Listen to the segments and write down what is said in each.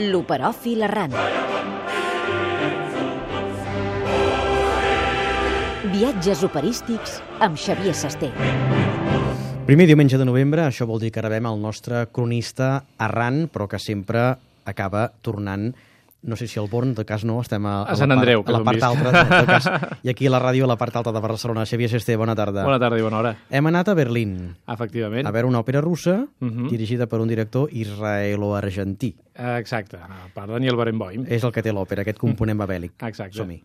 L'operòfil errant. Viatges operístics amb Xavier Sasté. Primer diumenge de novembre, això vol dir que rebem el nostre cronista errant, però que sempre acaba tornant, no sé si al Born, de cas no, estem a Sant Andreu, a la part alta, de cas, i aquí a la ràdio, a la part alta de Barcelona. Xavier Sasté, bona tarda. Bona tarda i bona hora. Hem anat a Berlín, Efectivament. a veure una òpera russa dirigida per un director israelo-argentí. Exacte, per Daniel Barenboim. És el que té l'òpera, aquest component babèlic. Exacte. Som-hi.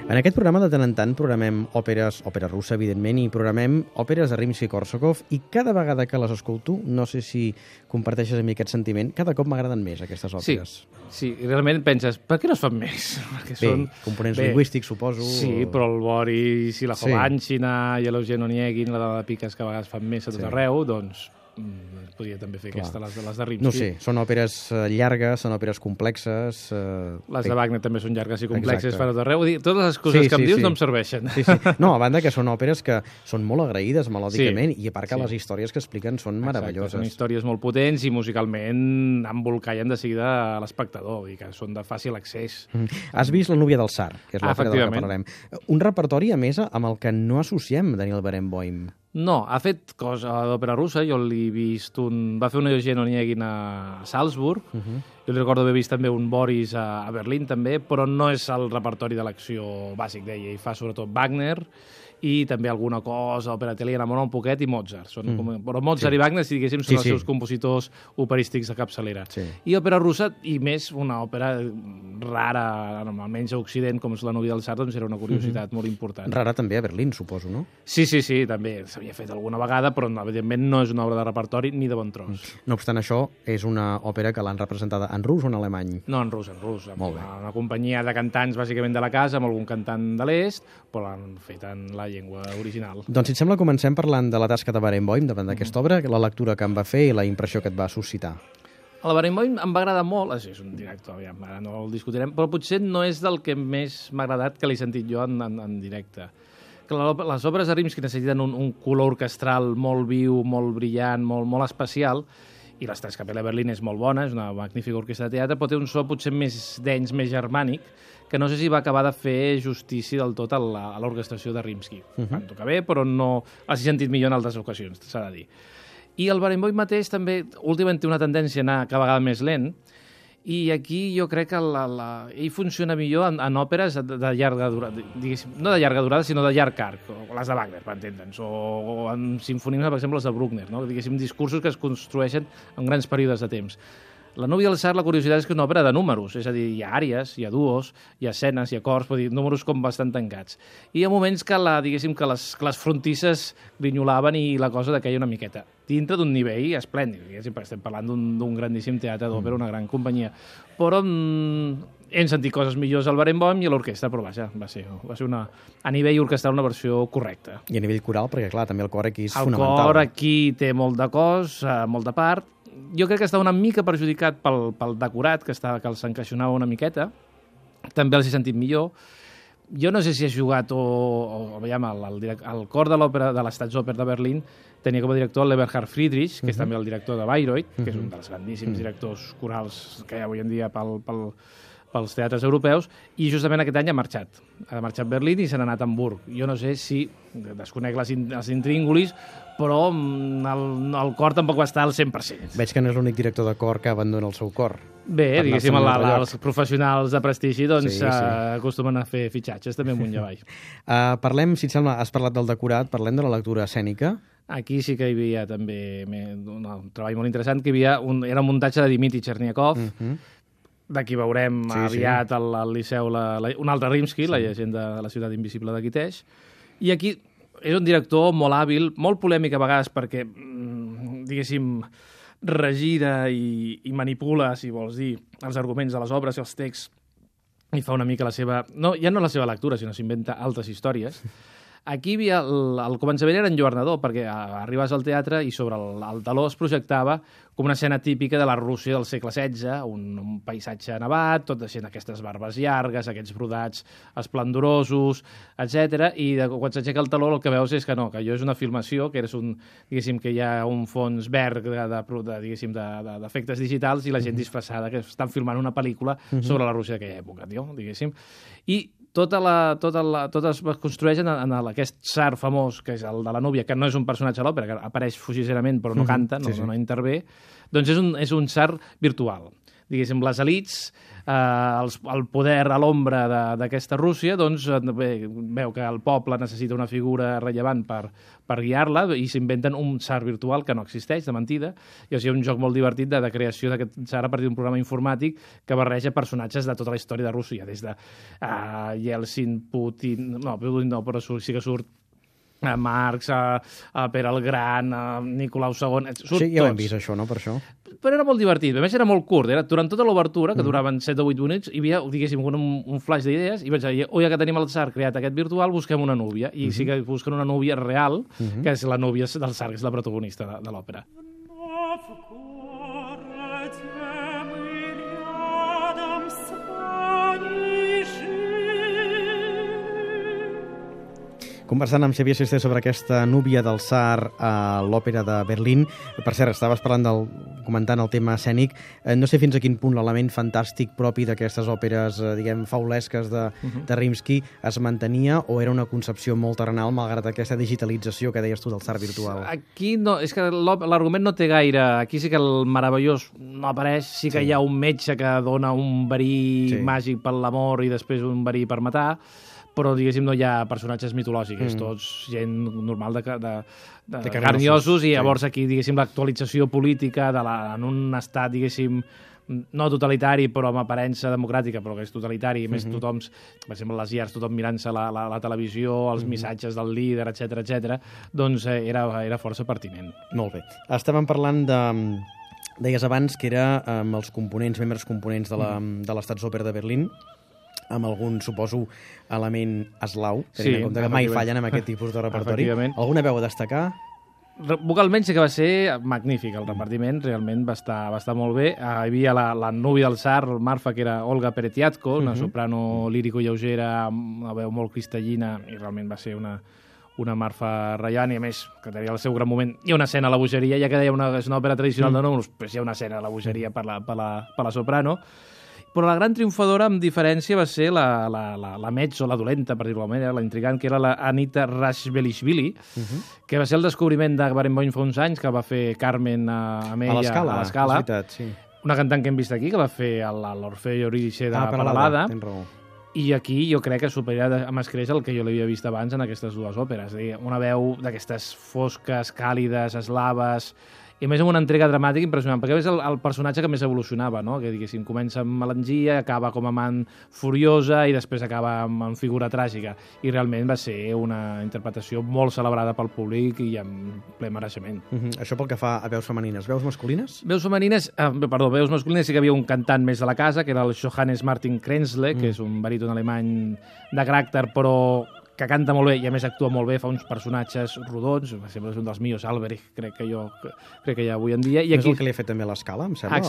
En aquest programa, de tant en tant, programem òpera russa, evidentment, i programem òperes de Rimsky-Korsakov, i cada vegada que les escolto, no sé si comparteixes amb mi aquest sentiment, cada cop m'agraden més aquestes òperes. Sí, i realment penses, per què no es fan més? Perquè Bé, components lingüístics, suposo. Sí, però el Boris i la Jovanchina i l'Eugen Oniegin, la de Piques, que a vegades fan més a tot arreu, doncs podria també fer aquesta, les de Rimsky. No sé, són òperes llargues, són òperes complexes. Les de Wagner també són llargues i complexes, fan a tot arreu. Totes les coses que em dius no em serveixen. Sí. No, a banda que són òperes que són molt agraïdes melòdicament, i a part que les històries que expliquen són meravelloses. Són històries molt potents i musicalment embolcallen de seguida a l'espectador, i que són de fàcil accés. Has vist La núvia del tsar, que és l'òpera de la que parlarem. Un repertori, a més, amb el que no associem Daniel Barenboim. No, ha fet cosa d'òpera russa, jo l'he vist va fer un Eugen Oniegin a Salzburg, jo li recordo haver vist també un Boris a Berlín també, però no és el repertori de l'acció bàsic d'ella, i fa sobretot Wagner i també alguna cosa, òpera italiana, un poquet, i Mozart. Però Mozart i Wagner, si diguéssim, són els seus compositors operístics de capçalera. I òpera russa, i més una òpera rara, almenys a Occident, com és La núvia del tsar, doncs era una curiositat molt important. Rara també a Berlín, suposo, no? Sí, també s'havia fet alguna vegada, però evidentment no és una obra de repertori ni de bon tros. No obstant això, és una òpera que l'han representada en rus o en alemany? No, en rus. Molt bé. Una companyia de cantants, bàsicament de la casa, amb algun cantant de l'est, però l'han fet en la llengua original. Doncs, si et sembla, comencem parlant de la tasca de Barenboim davant d'aquesta obra, la lectura que em va fer i la impressió que et va suscitar. El Barenboim em va agradar molt, és un director, ara no el discutirem, però potser no és del que més m'ha agradat que l'he sentit jo en directe. Les obres de Rimsky necessiten un color orquestral molt viu, molt brillant, molt especial, i l'Staatskapelle Berlin és molt bona, és una magnífica orquestra de teatre, però té un so potser més dens, més germànic, que no sé si va acabar de fer justícia del tot a l'orquestració de Rimsky. Van tocar bé, però no l'has sentit millor en altres ocasions, s'ha de dir. I el Barenboim mateix també últimament té una tendència a anar cada vegada més lent, i aquí jo crec que ell funciona millor en òperes de llarga durada, diguéssim, no de llarga durada, sinó de llarg arc, o les de Wagner, per entendre'ns, o en sinfonismes, per exemple, les de Bruckner, no? Diguéssim, discursos que es construeixen en grans períodes de temps. La núvia del tsar, la curiositat és que és una òpera de números, és a dir, hi ha àries, hi ha duos, hi ha escenes, hi ha cors, vull dir, números com bastant tancats. I hi ha moments que, diguéssim, que les frontisses grinyolaven i la cosa decaia una miqueta, dintre d'un nivell esplèndid, diguéssim, perquè estem parlant d'un grandíssim teatre d'òpera, una gran companyia. Però hem sentit coses millors al Barenboim i a l'orquestra, però vaja, va ser a nivell orquestral una versió correcta. I a nivell coral, perquè clar, també el cor aquí és fonamental. El cor aquí té molt de cos, molt de part. Jo crec que està una mica perjudicat pel decorat, que els encaixonava una miqueta. També els he sentit millor. Jo no sé si has jugat veiem, el cor de l'òpera de l'Staatsoper de Berlín tenia com a director l'Eberhard Friedrich, que és també el director de Bayreuth, que és un dels grandíssims directors corals que hi ha avui en dia pels teatres europeus, i justament aquest any ha marxat a Berlín i se n'ha anat a Hamburg. Jo no sé si, desconec els intríngulis, però el cor tampoc va estar al 100%. Veig que no és l'únic director de cor que abandona el seu cor. Bé, diguéssim, els professionals de prestigi acostumen a fer fitxatges també amunt i avall. Parlem, si et sembla, has parlat del decorat, parlem de la lectura escènica. Aquí sí que hi havia també un treball molt interessant, que era un muntatge de Dmitri Cherniakov, d'aquí veurem aviat al Liceu un altre Rimsky, la llegenda de la ciutat invisible de Guiteix. I aquí és un director molt hàbil, molt polèmic a vegades perquè, diguéssim, regira i manipula, si vols dir, els arguments de les obres i els texts, i fa una mica la seva... ja no la seva lectura, sinó s'inventa altres històries. Aquí hi havia el començament era enlluernador, perquè arribes al teatre i sobre el taló es projectava com una escena típica de la Rússia del segle XVI, un paisatge nevat, tot deixant aquestes barbes llargues, aquests brodats esplendorosos, etc. I quan s'aixeca el taló el que veus és que no, que allò és una filmació, que diguéssim, que hi ha un fons verd d'efectes digitals i la gent disfressada, que estan filmant una pel·lícula sobre la Rússia d'aquella època, diguéssim. I tot es construeix en aquest tsar famós, que és el de la núvia, que no és un personatge a l'òpera, que apareix fugisserament però no canta, no intervé, doncs és un tsar virtual. Diguéssim, les elits, el poder a l'ombra d'aquesta Rússia, doncs veu que el poble necessita una figura rellevant per guiar-la i s'inventen un tsar virtual que no existeix, de mentida, i o sigui, un joc molt divertit de creació d'aquest tsar a partir d'un programa informàtic que barreja personatges de tota la història de Rússia, des de Yeltsin, Putin, no, però sí que surt Marx, Pere el Gran, Nicolau II... Sí, ja ho hem vist, això, no?, per això. Però era molt divertit. A més, era molt curt. Durant tota l'obertura, que duraven 7 o 8 minuts, hi havia, diguéssim, un flash d'idees, i vaig dir, ja que tenim el tsar creat aquest virtual, busquem una núvia. I sí que busquen una núvia real, que és la núvia del tsar, que és la protagonista de l'òpera. Conversant amb Xavier Sisté sobre aquesta núvia del tsar a l'òpera de Berlín. Per cert, estaves comentant el tema escènic. No sé fins a quin punt l'element fantàstic propi d'aquestes òperes, diguem, faulesques de Rimsky es mantenia o era una concepció molt terrenal malgrat aquesta digitalització que deies tu del tsar virtual? Aquí no, és que l'argument no té gaire... Aquí sí que el meravellós no apareix, sí que hi ha un metge que dona un verí màgic per l'amor i després un verí per matar, però, diguéssim, no hi ha personatges mitològics, tots gent normal de carn i ossos, i llavors aquí, diguéssim, l'actualització política en un estat, diguéssim, no totalitari, però amb aparença democràtica, però que és totalitari, i més tothom, per exemple, les llars, tothom mirant-se la televisió, els missatges del líder, etc, doncs era força pertinent. Molt bé. Estàvem parlant deies abans que era amb els membres components de l'Staatsoper de Berlín, amb algun, suposo, element eslau, tenint en compte que mai fallen amb aquest tipus de repertori. Alguna veu a destacar? Vocalment sí que va ser magnífic, el repartiment realment va estar molt bé. Hi havia la núvia del tsar, Marfa, que era Olga Peretiatko, una soprano lírico-lleugera amb una veu molt cristallina, i realment va ser una Marfa rellevant, i a més, que tenia el seu gran moment. Hi ha una escena a la bogeria, ja que deia és una òpera tradicional de números, però hi ha una escena a la bogeria per la soprano. Però la gran triomfadora, amb diferència, va ser la mezzo, la dolenta, per dir-ho d'alguna manera, la intrigant, que era la Anita Rashvelishvili, que va ser el descobriment de Barenboim fa uns anys, que va fer Carmen amb ella a l'Escala. Una cantant que hem vist aquí, que va fer l'Orfeo Eurídice de Peralada. I aquí jo crec que supera amb escreix el que jo l'havia vist abans en aquestes dues òperes. Una veu d'aquestes fosques, càlides, eslaves, i a més amb una entrega dramàtica impressionant, perquè és el personatge que més evolucionava, no? Que, diguéssim, comença amb melangia, acaba com a amant furiosa i després acaba amb figura tràgica. I realment va ser una interpretació molt celebrada pel públic i amb ple mereixement. Això pel que fa a veus femenines. Veus masculines? Veus masculines sí que hi havia un cantant més de la casa, que era el Johannes Martin Krenzle, que és un baríton alemany de caràcter, però que canta molt bé i a més actua molt bé, fa uns personatges rodons, sempre és un dels millors, Alberich, crec que hi ha avui en dia. I aquí... És el que li ha fet també a l'Escala, em sembla?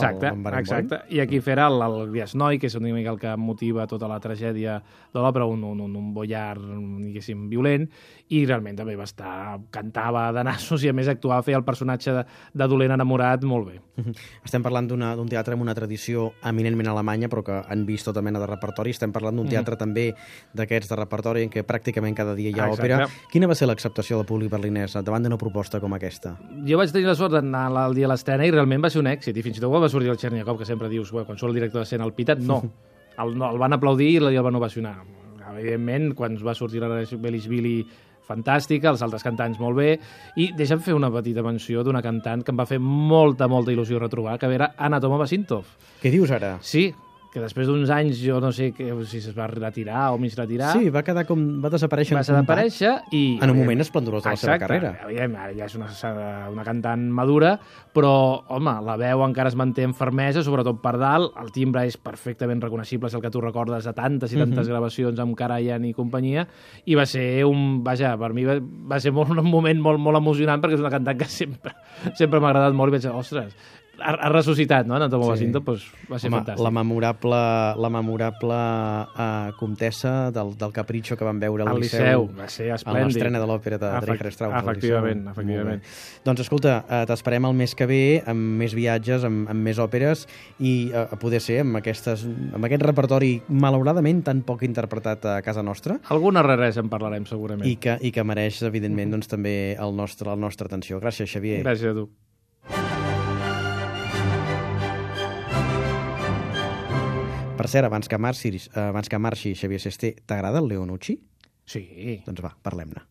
Exacte. I aquí farà el Griasnoi, que és una mica el que motiva tota la tragèdia de l'òpera, un boiard, diguéssim, violent, i realment també cantava de nassos i a més actuava, feia el personatge de dolent enamorat molt bé. Estem parlant d'un teatre amb una tradició eminentment alemanya, però que han vist tota mena de repertori. Estem parlant d'un teatre també d'aquests de repertori en què pràcticament cada dia hi ha òpera. Quina va ser l'acceptació del públic berlinès davant d'una proposta com aquesta? Jo vaig tenir la sort d'anar el dia de l'estrena i realment va ser un èxit, i fins i tot va sortir el Cherniakov, que sempre dius, quan surt el director d'escena al pitat, no. El van aplaudir i el van ovacionar. Evidentment, quan va sortir la Belishvili, fantàstica, els altres cantants molt bé, i deixa'm fer una petita menció d'una cantant que em va fer molta il·lusió retrobar, que era Anna Tomova Sintov. Què dius ara? Sí, que després d'uns anys, jo no sé si es va retirar o mig retirar. Sí, va desaparèixer va desaparèixer i... en un moment esplendorós de la seva carrera. Exacte, ara ja és una cantant madura, però, home, la veu encara es manté en fermesa, sobretot per dalt, el timbre és perfectament reconeixible, és el que tu recordes de tantes i tantes gravacions amb Karajan i companyia, i va ser per mi va ser un moment molt, molt emocionant, perquè és una cantant que sempre m'ha agradat molt, i vaig dir, ostres, ha ressuscitat, no? En Antomo Bacinto, doncs va ser fantàstic. La memorable comtessa del Capriccio que vam veure al Liceu. Va ser esplèndid. A l'estrena de l'òpera de Richard Strauss. Efectivament. Doncs escolta, t'esperem el mes que ve amb més viatges, amb més òperes i a poder ser amb aquest repertori malauradament tan poc interpretat a casa nostra. Alguna raresa en parlarem segurament. I que mereix, evidentment, doncs, també la nostra atenció. Gràcies, Xavier. Gràcies a tu. Per cert, abans que marxi Xavier Sesté, t'agrada el Leonucci? Sí. Doncs va, parlem-ne.